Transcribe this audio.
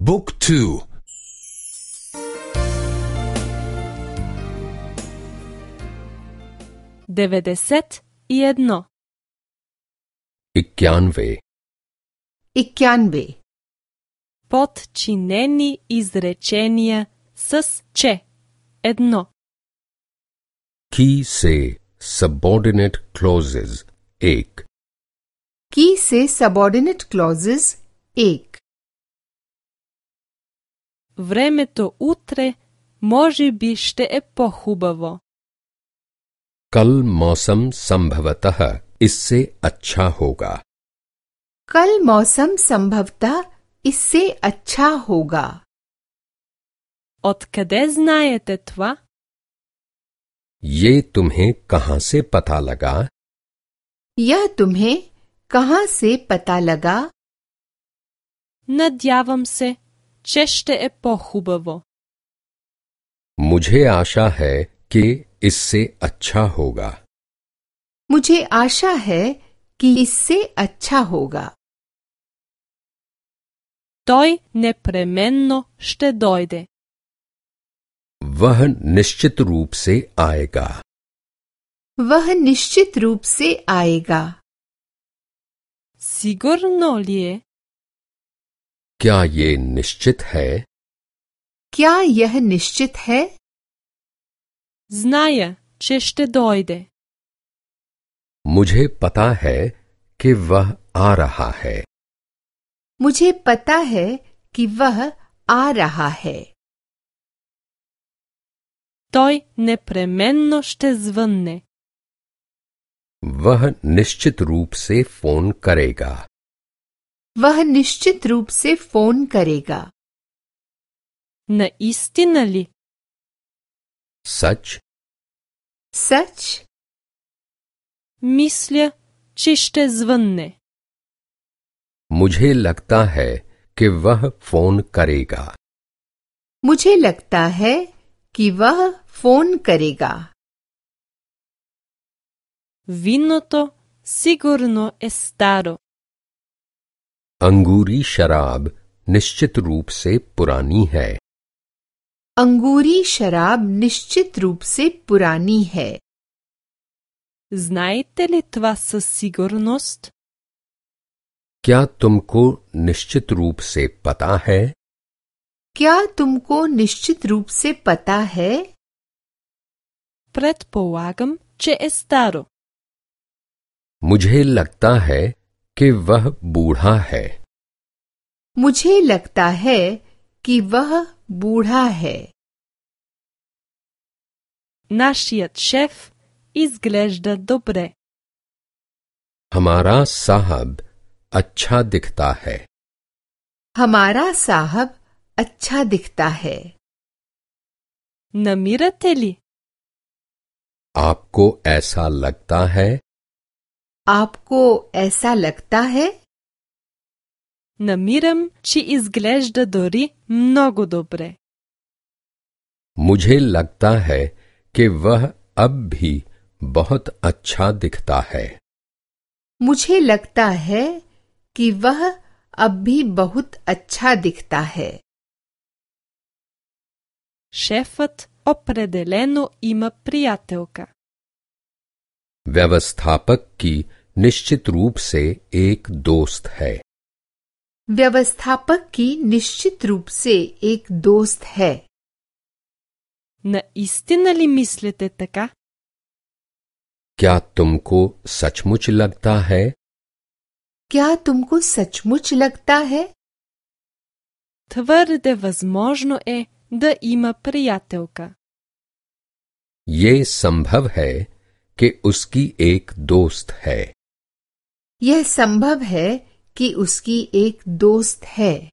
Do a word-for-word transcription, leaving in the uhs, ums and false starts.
Book two. деветдесет и едно. इक्यानवे इक्यानवे Подчинени изречения с че. Едно. की से सबऑर्डिनेट क्लॉजेज एक की से सबऑर्डिनेट क्लॉजेस एक Времето утре може би ще е по-хубаво. कल मौसम संभवतः इससे अच्छा होगा। कल मौसम संभवतः इससे अच्छा होगा। Откъде знаете това? ये तुम्हें कहां से पता लगा? यह तुम्हें कहां से पता लगा? Надявам се, че ще е по-хубаво. मुझे आशा है कि इससे अच्छा होगा। मुझे आशा है कि इससे अच्छा होगा। Той непременно ще дойде. वह निश्चित रूप से आएगा। वह निश्चित रूप से आएगा। Сигурно ли е? क्या ये निश्चित है? क्या यह निश्चित है? Зная, че ще дойде. मुझे पता है कि वह आ रहा है। मुझे पता है कि वह आ रहा है। Той непременно ще звънне. वह निश्चित रूप से फोन करेगा। वह निश्चित रूप से फोन करेगा। Наистина ли? सच? सच? Мисля, че ще звънне. मुझे लगता है कि वह फोन करेगा। मुझे लगता है कि वह फोन करेगा। Виното сигурно е старо. अंगूरी शराब निश्चित रूप से पुरानी है। अंगूरी शराब निश्चित रूप से पुरानी है। Знаете ли това със сигурност? क्या तुमको निश्चित रूप से पता है? क्या तुमको निश्चित रूप से पता है? Предполагам, че е старо. मुझे लगता है कि वह बूढ़ा है। मुझे लगता है कि वह बूढ़ा है। Нашият шеф изглежда добре. हमारा साहब अच्छा दिखता है। हमारा साहब अच्छा दिखता है। Намирате ли? आपको ऐसा लगता है? आपको ऐसा लगता है? Намирам, че изглежда дори много добре. मुझे लगता है कि वह अब भी बहुत अच्छा दिखता है। मुझे लगता है कि वह अब भी बहुत अच्छा दिखता है। Шефът определено има приятелка. व्यवस्थापक की निश्चित रूप से एक दोस्त है। व्यवस्थापक की निश्चित रूप से एक दोस्त है। Наистина ли мислите така? क्या तुमको सचमुच लगता है? क्या तुमको सचमुच लगता है? Твърде възможно е да има приятелка. ये संभव है कि उसकी एक दोस्त है। यह संभव है कि उसकी एक दोस्त है।